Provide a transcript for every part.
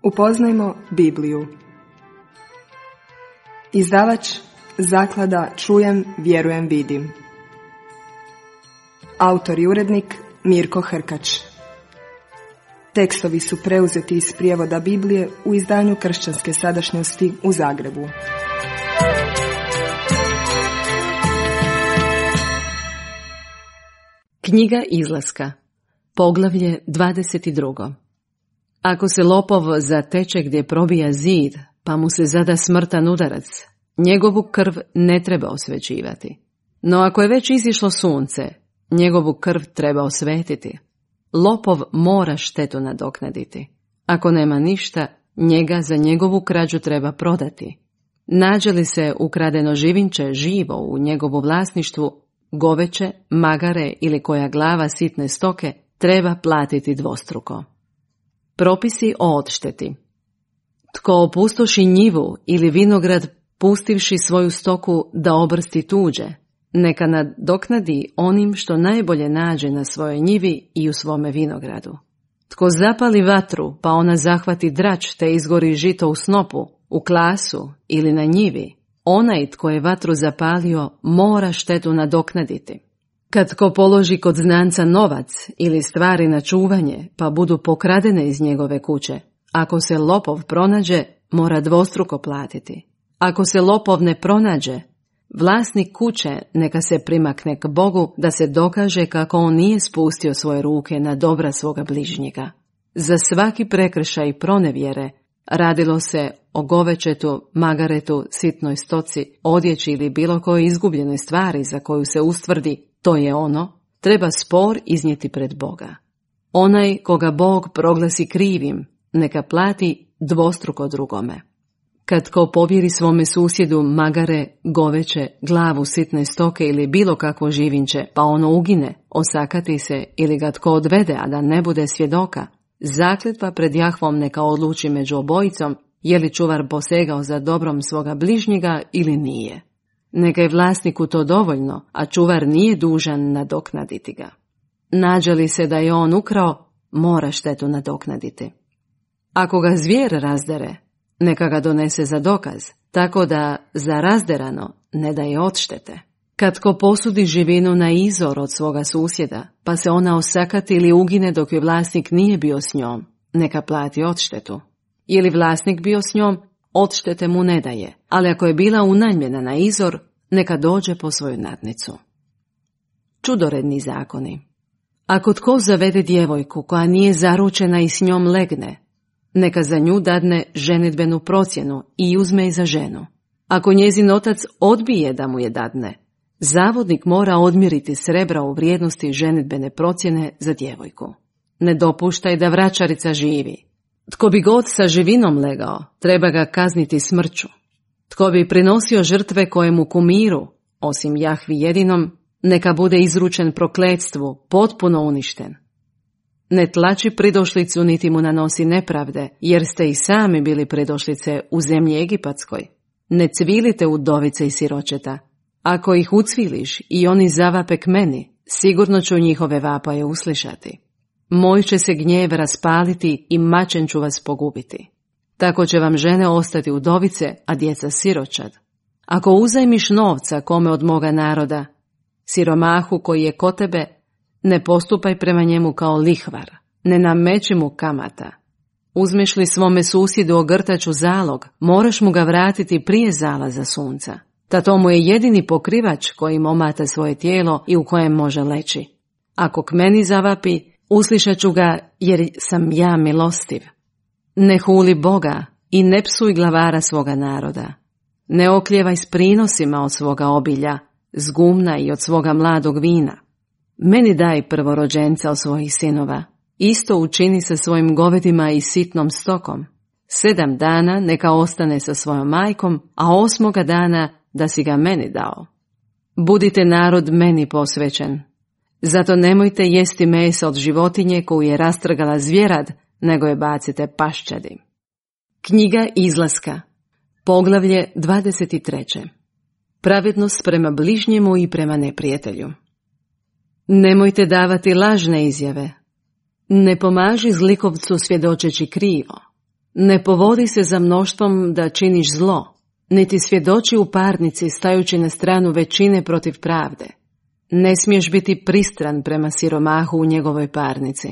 Upoznajmo Bibliju. Izdavač Zaklada Čujem, vjerujem, vidim. Autor i urednik Mirko Hrkač. Tekstovi su preuzeti iz prijevoda Biblije u izdanju Kršćanske sadašnjosti u Zagrebu. Knjiga Izlaska, poglavlje 22. Ako se lopov zateče gdje probija zid, pa mu se zada smrtan udarac, njegovu krv ne treba osvećivati. No ako je već izišlo sunce, njegovu krv treba osvetiti. Lopov mora štetu nadoknaditi. Ako nema ništa, njega za njegovu krađu treba prodati. Nađe li se ukradeno živinče živo u njegovu vlasništvu, goveće, magare ili koja glava sitne stoke, treba platiti dvostruko. Propisi o odšteti. Tko opustoši njivu ili vinograd pustivši svoju stoku da obrsti tuđe, neka nadoknadi onim što najbolje nađe na svojoj njivi i u svome vinogradu. Tko zapali vatru pa ona zahvati drač te izgori žito u snopu, u klasu ili na njivi, onaj tko je vatru zapalio mora štetu nadoknaditi. Kad tko položi kod znanca novac ili stvari na čuvanje pa budu pokradene iz njegove kuće, ako se lopov pronađe, mora dvostruko platiti. Ako se lopov ne pronađe, vlasnik kuće neka se primakne k Bogu da se dokaže kako on nije spustio svoje ruke na dobra svoga bližnjega. Za svaki prekršaj pronevjere, radilo se o govećetu, magaretu, sitnoj stoci, odjeći ili bilo kojoj izgubljenoj stvari za koju se ustvrdi to je ono, treba spor iznijeti pred Boga. Onaj koga Bog proglasi krivim, neka plati dvostruko drugome. Kad ko povjeri svome susjedu magare, goveće, glavu sitne stoke ili bilo kakvo živinče, pa ono ugine, osakati se ili ga tko odvede, a da ne bude svjedoka, zakletva pred Jahvom neka odluči među obojicom, je li čuvar posegao za dobrom svoga bližnjega ili nije. Neka je vlasniku to dovoljno, a čuvar nije dužan nadoknaditi ga. Nađe li se da je on ukrao, mora štetu nadoknaditi. Ako ga zvijer razdere, neka ga donese za dokaz, tako da za razderano ne daje odštete. Kad ko posudi živinu na izor od svoga susjeda, pa se ona osakati ili ugine dok je vlasnik nije bio s njom, neka plati odštetu. Je li vlasnik bio s njom, odštete mu ne daje, ali ako je bila unajmljena na izor, neka dođe po svoju nadnicu. Čudoredni zakoni. Ako tko zavede djevojku koja nije zaručena i s njom legne, neka za nju dadne ženidbenu procjenu i uzme je za ženu. Ako njezin otac odbije da mu je dadne, zavodnik mora odmjeriti srebra u vrijednosti ženidbene procjene za djevojku. Ne dopuštaj da vraćarica živi. Tko bi god sa živinom legao, treba ga kazniti smrću. Tko bi prinosio žrtve kojemu kumiru, osim Jahvi jedinom, neka bude izručen prokletstvu, potpuno uništen. Ne tlači pridošlicu niti mu nanosi nepravde, jer ste i sami bili pridošlice u zemlji Egipatskoj. Ne cvilite udovice i siročeta. Ako ih ucviliš i oni zavape k meni, sigurno ću njihove vapaje uslišati. Moj će se gnjev raspaliti i mačem ću vas pogubiti. Tako će vam žene ostati udovice, a djeca siročad. Ako uzajmiš novca kome od moga naroda, siromahu koji je kod tebe, ne postupaj prema njemu kao lihvar, ne nameći mu kamata. Uzmeš li svome susjedu ogrtač u zalog, moraš mu ga vratiti prije zalaza sunca. Ta to mu je jedini pokrivač kojim omata svoje tijelo i u kojem može leći. Ako k meni zavapi, uslišat ću ga jer sam ja milostiv. Ne huli Boga i ne psuj glavara svoga naroda. Ne okljevaj s prinosima od svoga obilja, s gumna i od svoga mladog vina. Meni daj prvorođenca od svojih sinova. Isto učini sa svojim govedima i sitnom stokom. 7 dana neka ostane sa svojom majkom, a 8. dana da si ga meni dao. Budite narod meni posvećen. Zato nemojte jesti mesa od životinje koju je rastrgala zvjerad, nego je bacite paščadi. Knjiga Izlaska, poglavlje 23. Pravednost prema bližnjemu i prema neprijatelju. Nemojte davati lažne izjave. Ne pomaži zlikovcu svjedočeći krivo. Ne povodi se za mnoštvom da činiš zlo, niti svjedoči u parnici stajući na stranu većine protiv pravde. Ne smiješ biti pristran prema siromahu u njegovoj parnici.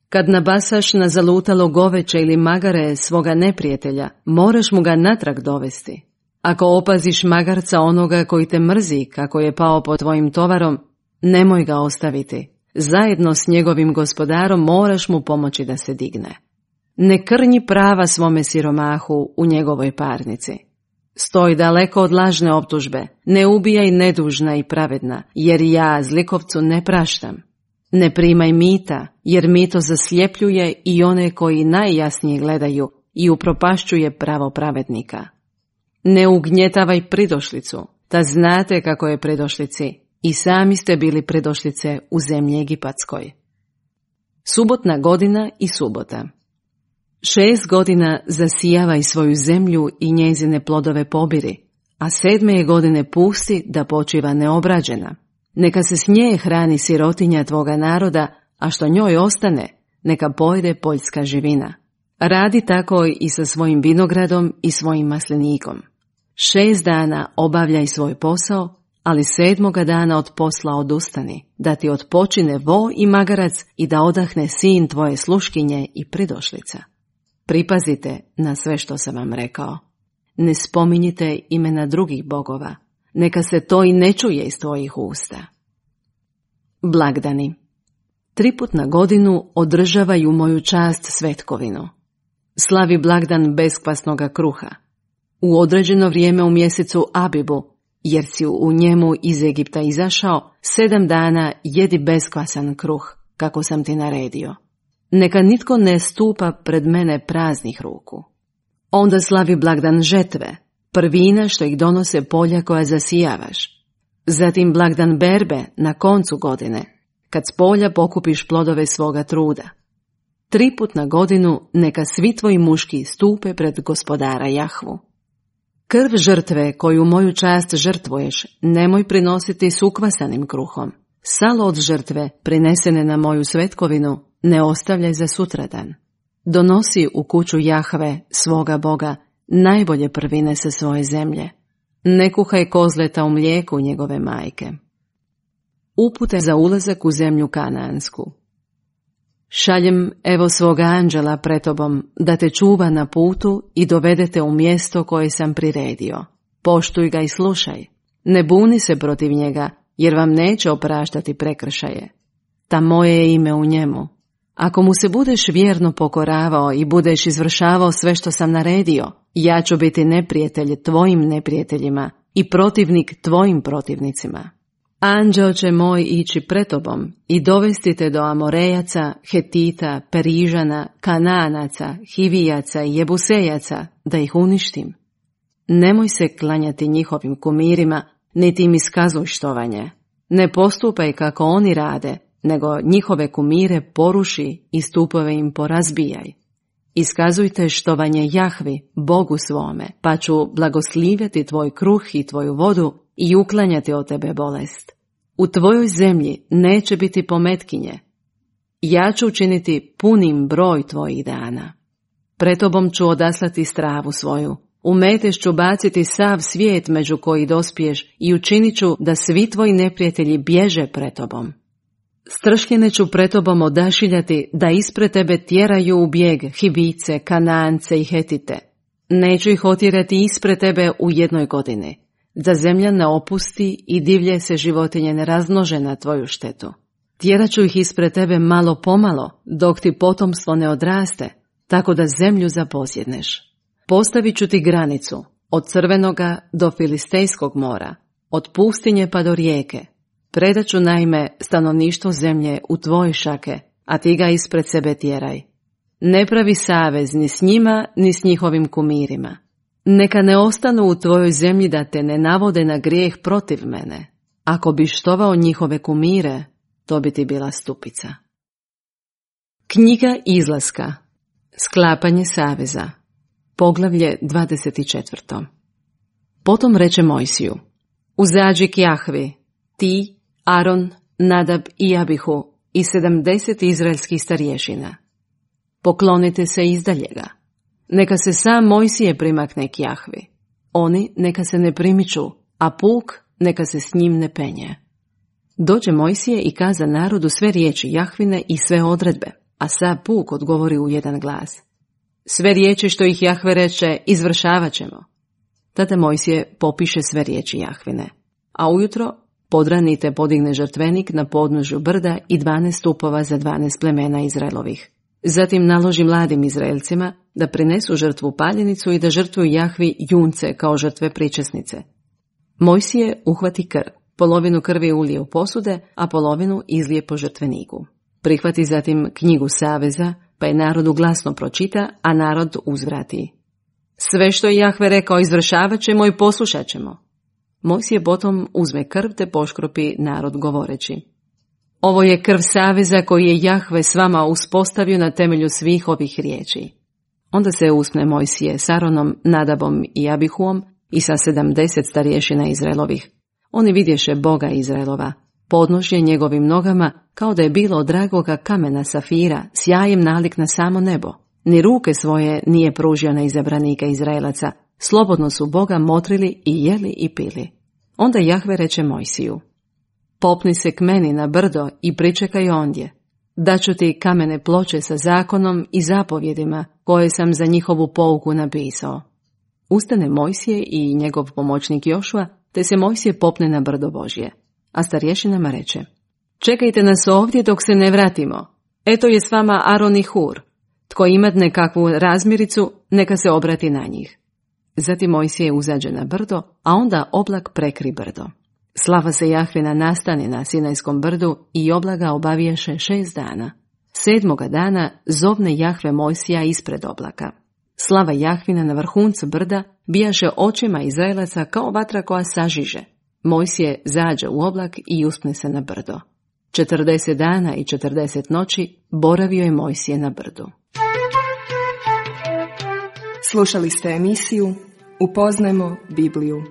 Kad nabasaš na zalutalo goveće ili magare svoga neprijatelja, moraš mu ga natrag dovesti. Ako opaziš magarca onoga koji te mrzi kako je pao pod tvojim tovarom, nemoj ga ostaviti. Zajedno s njegovim gospodarom moraš mu pomoći da se digne. Ne krnji prava svome siromahu u njegovoj parnici. Stoj daleko od lažne optužbe, ne ubijaj nedužna i pravedna, jer ja zlikovcu ne praštam. Ne primaj mita, jer mito zasljepljuje i one koji najjasnije gledaju i upropašćuje pravo pravednika. Ne ugnjetavaj pridošlicu, ta znate kako je pridošlici, i sami ste bili pridošlice u zemlji Egipatskoj. Subotna godina i subota. 6 godina zasijavaj svoju zemlju i njezine plodove pobiri, a 7. godine pusti da počiva neobrađena. Neka se s nje hrani sirotinja tvoga naroda, a što njoj ostane, neka pojede poljska živina. Radi tako i sa svojim vinogradom i svojim maslinikom. 6 dana obavljaj svoj posao, ali 7. dana od posla odustani, da ti odpočine vo i magarac i da odahne sin tvoje sluškinje i pridošlica. Pripazite na sve što sam vam rekao. Ne spominjite imena drugih bogova, neka se to i ne čuje iz tvojih usta. Blagdani. 3 put na godinu održavaj u moju čast svetkovinu. Slavi blagdan beskvasnoga kruha. U određeno vrijeme u mjesecu Abibu, jer si u njemu iz Egipta izašao, 7 dana jedi beskvasan kruh, kako sam ti naredio. Neka nitko ne stupa pred mene praznih ruku. Onda slavi blagdan žetve, prvina što ih donose polja koja zasijavaš. Zatim blagdan berbe na koncu godine, kad s polja pokupiš plodove svoga truda. 3 put na godinu neka svi tvoji muški stupe pred gospodara Jahvu. Krv žrtve koju moju čast žrtvuješ nemoj prinositi s ukvasanim kruhom. Salo od žrtve prinesene na moju svetkovinu ne ostavljaj za sutradan. Donosi u kuću Jahve, svoga Boga, najbolje prvine sa svoje zemlje. Ne kuhaj kozleta u mlijeku njegove majke. Upute za ulazak u zemlju Kanaansku. Šaljem evo svoga anđela pred tobom, da te čuva na putu i dovedete u mjesto koje sam priredio. Poštuj ga i slušaj. Ne buni se protiv njega, jer vam neće opraštati prekršaje. Ta moje je ime u njemu. Ako mu se budeš vjerno pokoravao i budeš izvršavao sve što sam naredio, ja ću biti neprijatelj tvojim neprijateljima i protivnik tvojim protivnicima. Anđeo će moj ići pred tobom i dovesti te do Amorejaca, Hetita, Perižana, Kanaanaca, Hivijaca i Jebusejaca, da ih uništim. Nemoj se klanjati njihovim kumirima, niti im iskazuj štovanje. Ne postupaj kako oni rade, nego njihove kumire poruši i stupove im porazbijaj. Iskazujte štovanje Jahvi, Bogu svome, pa ću blagoslivjeti tvoj kruh i tvoju vodu i uklanjati od tebe bolest. U tvojoj zemlji neće biti pometkinje. Ja ću učiniti punim broj tvojih dana. Pred tobom ću odaslati stravu svoju. U metež ću baciti sav svijet među koji dospiješ i učinit ću da svi tvoji neprijatelji bježe pred tobom. Stršljene ću pred tobom odašiljati da ispred tebe tjeraju u bijeg Hivice, Kanaance i Hetite. Neću ih otjerati ispred tebe u 1 godini, da zemlja ne opusti i divlje se životinje ne razmnože na tvoju štetu. Tjerat ću ih ispred tebe malo pomalo, dok ti potomstvo ne odraste, tako da zemlju zaposjedneš. Postavit ću ti granicu, od Crvenoga do Filistejskog mora, od pustinje pa do rijeke. Predat ću naime stanovništvo zemlje u tvoje šake, a ti ga ispred sebe tjeraj. Ne pravi savez ni s njima, ni s njihovim kumirima. Neka ne ostanu u tvojoj zemlji da te ne navode na grijeh protiv mene. Ako bi štovao njihove kumire, to bi ti bila stupica. Knjiga Izlaska. Sklapanje saveza. Poglavlje 24. Potom reče Mojsiju: Uzađi k Jahvi, ti, Aron, Nadab i Abihu i 70 izraelskih starješina. Poklonite se izdalje ga. Neka se sam Mojsije primakne k Jahvi. Oni neka se ne primiču, a puk neka se s njim ne penje. Dođe Mojsije i kaza narodu sve riječi Jahvine i sve odredbe, a sav puk odgovori u jedan glas. Sve riječi što ih Jahve reče, izvršavat ćemo. Tada Mojsije popiše sve riječi Jahvine, a ujutro podranite podigne žrtvenik na podnožju brda i 12 stupova za 12 plemena Izraelovih. Zatim naloži mladim Izraelcima da prinesu žrtvu paljenicu i da žrtvuju Jahvi junce kao žrtve pričesnice. Mojsije uhvati krv, polovinu krvi ulije u posude, a polovinu izlije po žrtveniku. Prihvati zatim knjigu saveza, pa je narodu glasno pročita, a narod uzvrati. Sve što je Jahve rekao izvršavat ćemo i poslušat ćemo. Mojsije potom uzme krv te poškropi narod govoreći. Ovo je krv saveza koji je Jahve s vama uspostavio na temelju svih ovih riječi. Onda se uspne Mojsije s Aronom, Nadabom i Abihuom i sa 70 starješina Izraelovih. Oni vidješe Boga Izraelova, podnožje njegovim nogama kao da je bilo od dragoga kamena safira, sjajem nalik na samo nebo. Ni ruke svoje nije pružio na izabranika Izraelaca, slobodno su Boga motrili i jeli i pili. Onda Jahve reče Mojsiju, popni se k meni na brdo i pričekaj ondje. Daću ti kamene ploče sa zakonom i zapovjedima koje sam za njihovu pouku napisao. Ustane Mojsije i njegov pomoćnik Jošua, te se Mojsije popne na brdo Božje. A starješinama reče, čekajte nas ovdje dok se ne vratimo. Eto je s vama Aron i Hur. Tko ima nekakvu razmiricu, neka se obrati na njih. Zatim Mojsije uzađe na brdo, a onda oblak prekri brdo. Slava se Jahvina nastane na Sinajskom brdu i oblaga obaviješe 6 dana. 7. dana zovne Jahve Mojsija ispred oblaka. Slava Jahvina na vrhuncu brda bijaše očima Izraelaca kao vatra koja sažiže. Mojsije zađe u oblak i uspne se na brdo. 40 dana i 40 noći boravio je Mojsije na brdu. Slušali ste emisiju Upoznajmo Bibliju.